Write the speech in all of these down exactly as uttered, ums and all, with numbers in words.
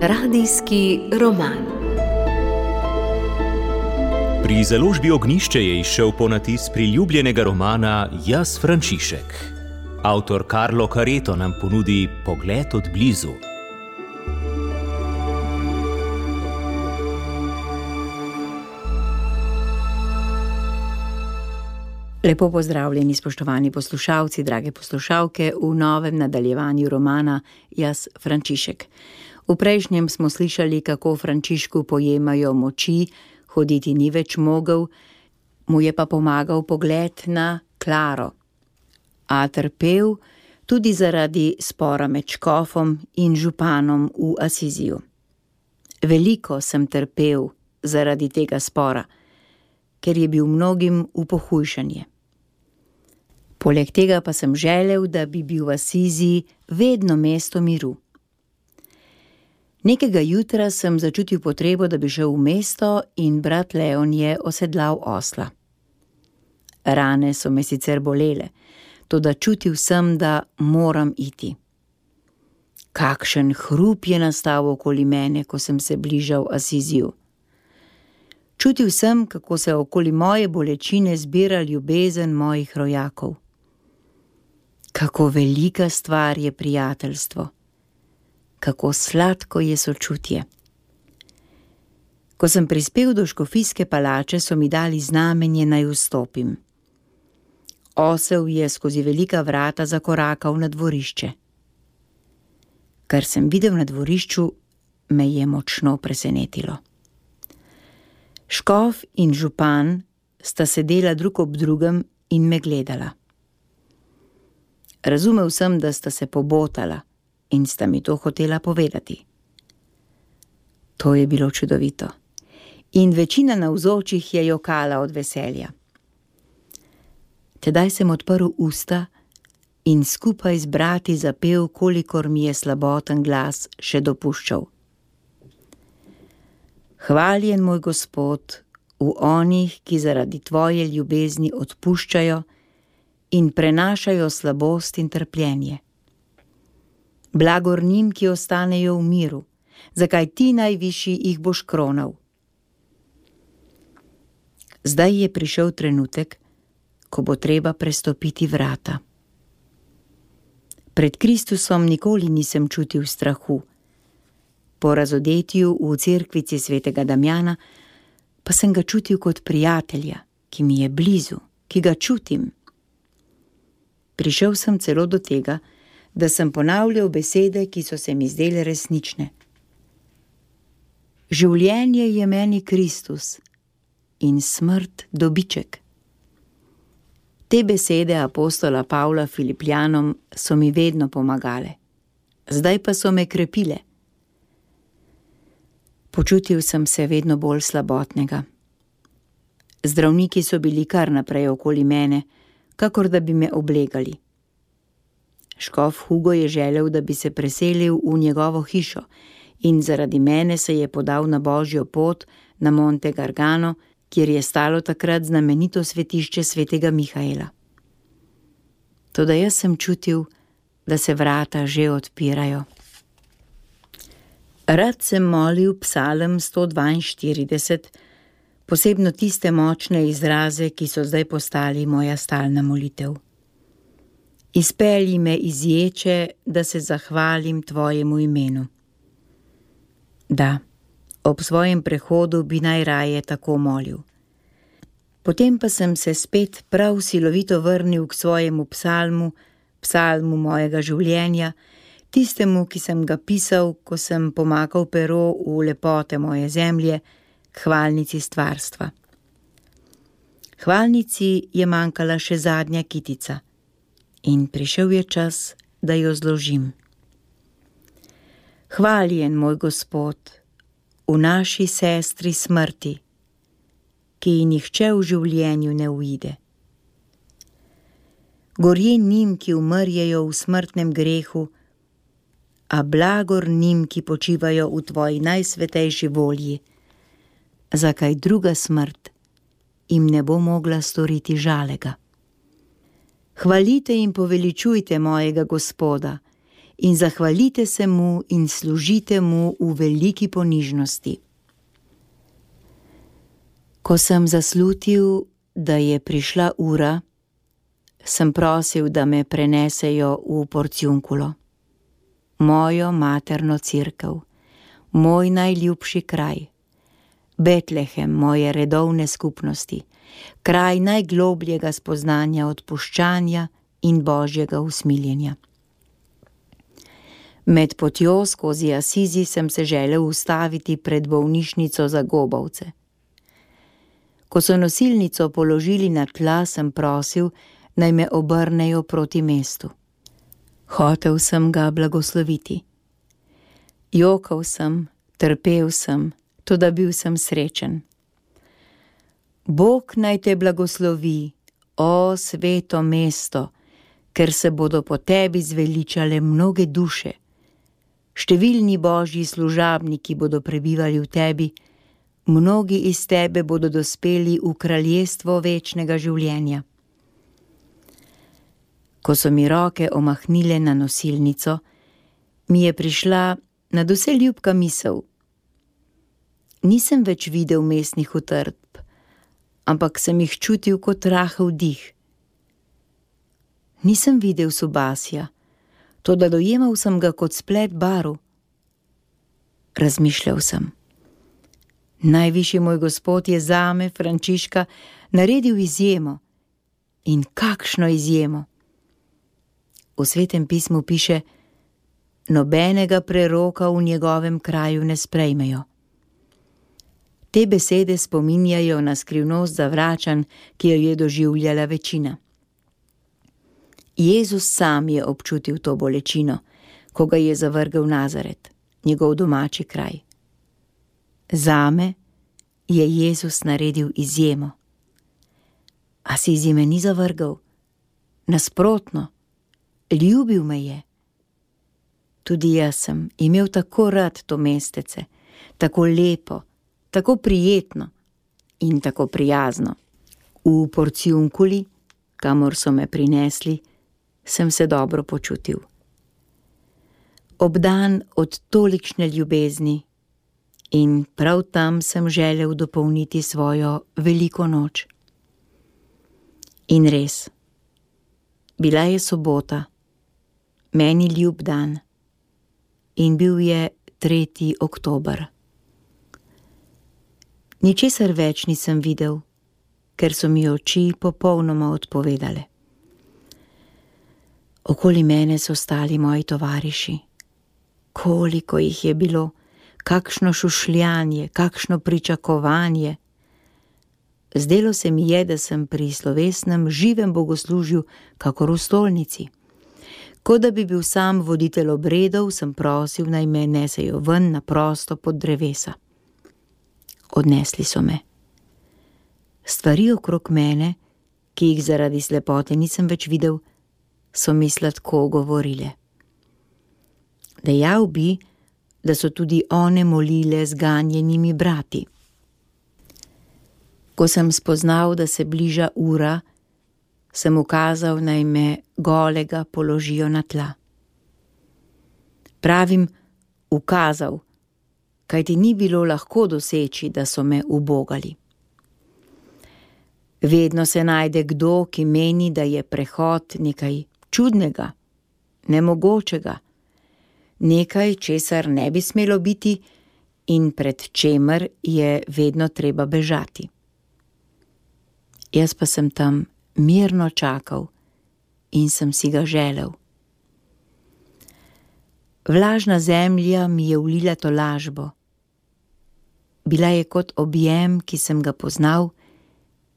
Radijski roman. Pri založbi Ognjišče je izšel ponatis priljubljenega romana Jaz, Frančišek. Avtor Carlo Careto nam ponudi pogled od blizu. Lepo pozdravljeni, spoštovani poslušalci, drage poslušalke, v novem nadaljevanju romana Jaz, Frančišek. V prejšnjem smo slišali, kako Frančišku pojemajo moči, hoditi ni več mogel, mu je pa pomagal pogled na Klaro. A trpel tudi zaradi spora med škofom in županom v Asiziju. Veliko sem trpel zaradi tega spora, ker je bil mnogim v pohujšanje. Poleg tega pa sem želel, da bi bil v Asiziji vedno mesto miru. Nekega jutra sem začutil potrebo, da bi šel v mesto, in brat Leon je osedlal osla. Rane so me sicer bolele, toda čutil sem, da moram iti. Kakšen hrup je nastal okoli mene, ko sem se bližal Asiziju. Čutil sem, kako se okoli moje bolečine zbira ljubezen mojih rojakov. Kako velika stvar je prijateljstvo. Kako sladko je sočutje. Ko sem prispel do škofijske palače, so mi dali znamenje, naj vstopim. Osel je skozi velika vrata zakorakal na dvorišče. Kar sem videl na dvorišču, me je močno presenetilo. Škof in župan sta sedela drug ob drugem in me gledala. Razumel sem, da sta se pobotala in sta mi to hotela povedati. To je bilo čudovito in večina navzočih je jokala od veselja. Tedaj sem odprl usta in skupaj z brati zapel, kolikor mi je slaboten glas še dopuščal. Hvaljen moj Gospod v onih, ki zaradi tvoje ljubezni odpuščajo in prenašajo slabost in trpljenje. Blagor njim, ki ostanejo v miru, zakaj ti najvišji jih boš kronal. Zdaj je prišel trenutek, ko bo treba prestopiti vrata. Pred Kristusom nikoli nisem čutil strahu. Po razodetju v cerkvici svetega Damjana pa sem ga čutil kot prijatelja, ki mi je blizu, ki ga čutim. Prišel sem celo do tega, da sem ponavljal besede, ki so se mi zdele resnične. Življenje je meni Kristus in smrt dobiček. Te besede apostola Pavla Filipljanom so mi vedno pomagale. Zdaj pa so me krepile. Počutil sem se vedno bolj slabotnega. Zdravniki so bili kar naprej okoli mene, kakor da bi me oblegali. Škof Hugo je želel, da bi se preselil v njegovo hišo in zaradi mene se je podal na Božjo pot na Monte Gargano, kjer je stalo takrat znamenito svetišče svetega Mihaela. Toda jaz sem čutil, da se vrata že odpirajo. Rad sem molil psalm sto dvainštirideset, posebno tiste močne izraze, ki so zdaj postali moja stalna molitev. Izpelji me iz ječe, da se zahvalim tvojemu imenu. Da, ob svojem prehodu bi najraje tako molil. Potem pa sem se spet prav silovito vrnil k svojemu psalmu, psalmu mojega življenja, tistemu, ki sem ga pisal, ko sem pomakal pero v lepote moje zemlje, k hvalnici stvarstva. Hvalnici je manjkala še zadnja kitica in prišel je čas, da jo zložim. Hvaljen moj Gospod v naši sestri smrti, ki ji nihče v življenju ne uide. Gorje njim, ki umrjejo v smrtnem grehu, a blagor njim, ki počivajo v tvoji najsvetejši volji, zakaj druga smrt jim ne bo mogla storiti žalega. Hvalite in poveličujte mojega Gospoda in zahvalite se mu in služite mu v veliki ponižnosti. Ko sem zaslutil, da je prišla ura, sem prosil, da me prenesejo v Porciunkulo, mojo materno cerkev, moj najljubši kraj, Betlehem moje redovne skupnosti, kraj najglobljega spoznanja odpuščanja in božjega usmiljenja. Med potjo skozi Asizi sem se želel ustaviti pred bolnišnico za gobavce. Ko so nosilnico položili na tla, sem prosil, naj me obrnejo proti mestu. Hotel sem ga blagosloviti. Jokal sem, trpel sem, toda bil sem srečen. Bog naj te blagoslovi, o sveto mesto, ker se bodo po tebi zveličale mnoge duše. Številni božji služabniki bodo prebivali v tebi, mnogi iz tebe bodo dospeli v kraljestvo večnega življenja. Ko so mi roke omahnile na nosilnico, mi je prišla nadvse ljubka misel. Nisem več videl mestnih utrdb, ampak sem jih čutil kot rahel dih. Nisem videl Subasja, toda dojemal sem ga kot splet barv. Razmišljal sem. Najvišji moj Gospod je zame, Frančiška, naredil izjemo. In kakšno izjemo! V Svetem pismu piše: nobenega preroka v njegovem kraju ne sprejmejo. Te besede spominjajo na skrivnost zavračanj, ki jo je doživljala večina. Jezus sam je občutil to bolečino, ko ga je zavrgel Nazaret, njegov domači kraj. Zame je Jezus naredil izjemo. Asizi me ni zavrgel, nasprotno, ljubil me je. Tudi jaz sem imel tako rad to mestece, tako lepo, tako prijetno in tako prijazno. V Porciunkuli, kamor so me prinesli, sem se dobro počutil. Obdan od tolikšne ljubezni in prav tam sem želel dopolniti svojo veliko noč. In res, bila je sobota, meni ljub dan, in bil je tretji oktober. Ničesar več nisem videl, ker so mi oči popolnoma odpovedale. Okoli mene so stali moji tovariši. Koliko jih je bilo, kakšno šušljanje, kakšno pričakovanje. Zdelo se mi je, da sem pri slovesnem živem bogoslužju kakor v stolnici. Ko da bi bil sam voditelj obredov, sem prosil, naj me nesejo ven na prosto pod drevesa. Odnesli so me. Stvari okrog mene, ki jih zaradi slepote nisem več videl, so mi sladko govorile. Dejal bi, da so tudi one molile z ganjenimi brati. Ko sem spoznal, da se bliža ura, sem ukazal, naj me golega položijo na tla. Pravim ukazal, kajti ni bilo lahko doseči, da so me ubogali. Vedno se najde kdo, ki meni, da je prehod nekaj čudnega, nemogočega, nekaj, česar ne bi smelo biti in pred čemer je vedno treba bežati. Jaz pa sem tam mirno čakal in sem si ga želel. Vlažna zemlja mi je vlila tolažbo. Bila je kot objem, ki sem ga poznal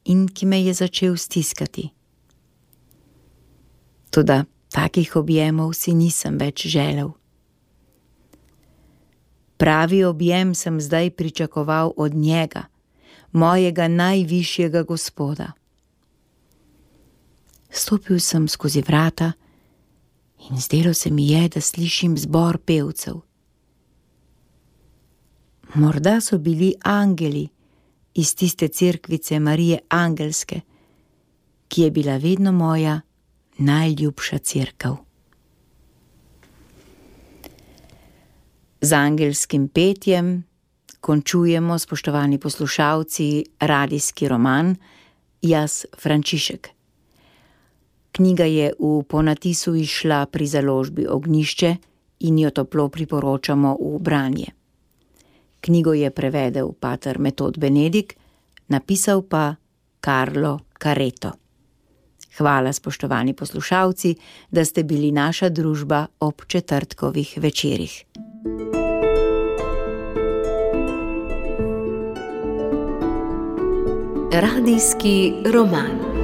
in ki me je začel stiskati. Toda takih objemov si nisem več želel. Pravi objem sem zdaj pričakoval od njega, mojega najvišjega Gospoda. Stopil sem skozi vrata in zdelo se mi je, da slišim zbor pevcev. Morda so bili angeli iz tiste cerkvice Marije Angelske, ki je bila vedno moja najljubša cerkev. Z angelskim petjem končujemo, spoštovani poslušalci, radijski roman Jaz Frančišek. Knjiga je v ponatisu izšla pri založbi Ognjišče in jo toplo priporočamo v branje. Knjigo je prevedel pater Metod Benedik, napisal pa Carlo Careto. Hvala, spoštovani poslušalci, da ste bili naša družba ob četrtkovih večerih. Radijski roman.